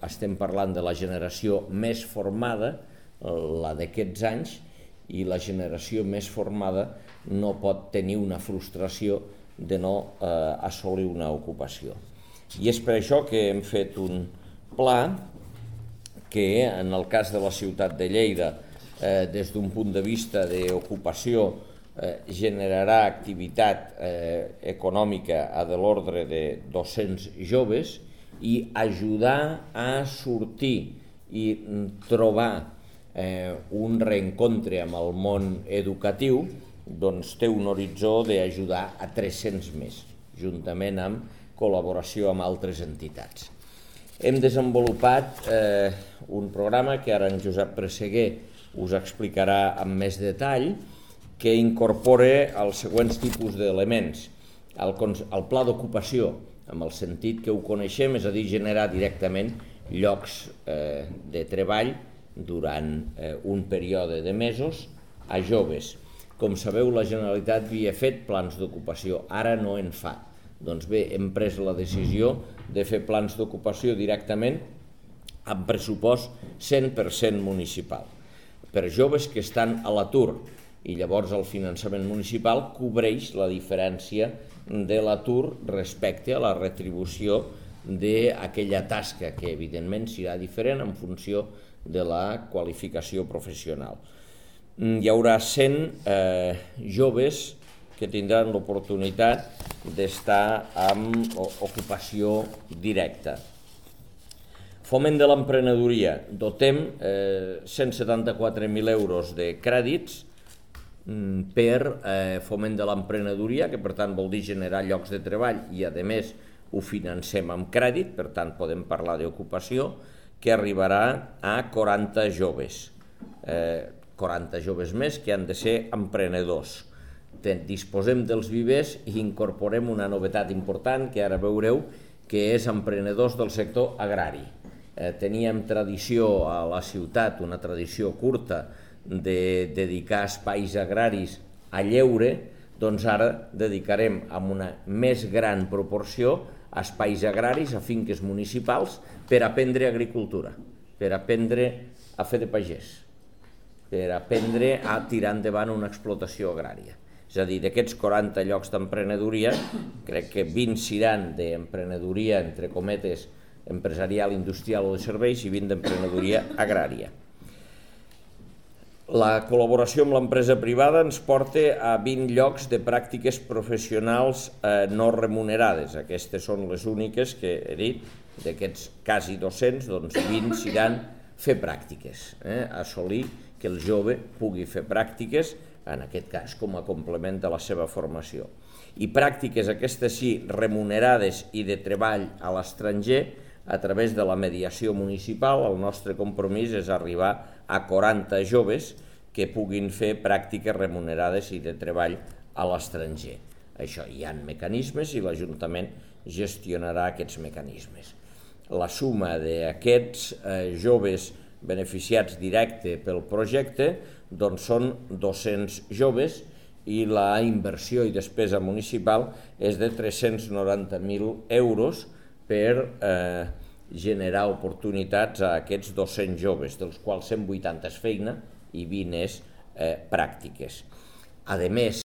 estem parlant de la generació més formada, la d'aquests anys, i la generació més formada no pot tenir una frustració de no assolir una ocupació. I és per això que hem fet un pla que, en el cas de la ciutat de Lleida, des d'un punt de vista d'ocupació, generarà activitat econòmica de l'ordre de 200 joves i ajudar a sortir i trobar un reencontre amb el món educatiu, doncs té un horitzó d'ajudar a 300 més, juntament amb col·laboració amb altres entitats. Hem desenvolupat un programa que ara en Josep Presseguer us explicarà amb més detall, que incorpora els següents tipus d'elements. El pla d'ocupació, amb el sentit que ho coneixem, és a dir, generar directament llocs de treball durant un període de mesos a joves. Com sabeu, la Generalitat havia fet plans d'ocupació, ara no en fa. Doncs bé, hem pres la decisió de fer plans d'ocupació directament amb pressupost 100% municipal, per joves que estan a l'atur, i llavors el finançament municipal cobreix la diferència de l'atur respecte a la retribució d'aquella tasca, que evidentment serà diferent en funció de la qualificació professional. Hi haurà 100 joves que tindran l'oportunitat d'estar amb ocupació directa. Foment de l'emprenedoria. Dotem 174.000 euros de crèdits per foment de l'emprenedoria, que per tant vol dir generar llocs de treball i a més ho financem amb crèdit, per tant podem parlar d'ocupació, que arribarà a 40 joves. 40 joves més que han de ser emprenedors. Disposem dels vivers i incorporem una novetat important que ara veureu, que és emprenedors del sector agrari. Teníem tradició a la ciutat, una tradició curta, de dedicar espais agraris a lleure, doncs ara dedicarem amb una més gran proporció a espais agraris, a finques municipals, per aprendre agricultura, per aprendre a fer de pagès, per aprendre a tirar endavant una explotació agrària. És a dir, d'aquests 40 llocs d'emprenedoria, crec que 20 seran d'emprenedoria, entre cometes, empresarial, industrial o de serveis, i 20 d'emprenedoria agrària. La col·laboració amb l'empresa privada ens porta a 20 llocs de pràctiques professionals no remunerades. Aquestes són les úniques que he dit, d'aquests quasi 200, doncs 20 seran fer pràctiques, assolir que el jove pugui fer pràctiques, en aquest cas com a complement de la seva formació. I pràctiques, aquestes sí, remunerades i de treball a l'estranger, a través de la mediació municipal. El nostre compromís és arribar a 40 joves que puguin fer pràctiques remunerades i de treball a l'estranger. Això hi ha mecanismes i l'Ajuntament gestionarà aquests mecanismes. La suma d'aquests joves beneficiats directe pel projecte doncs són 200 joves i la inversió i despesa municipal és de 390.000 euros per generar oportunitats a aquests 200 joves, dels quals 180 és feina i 20 és pràctiques. A més,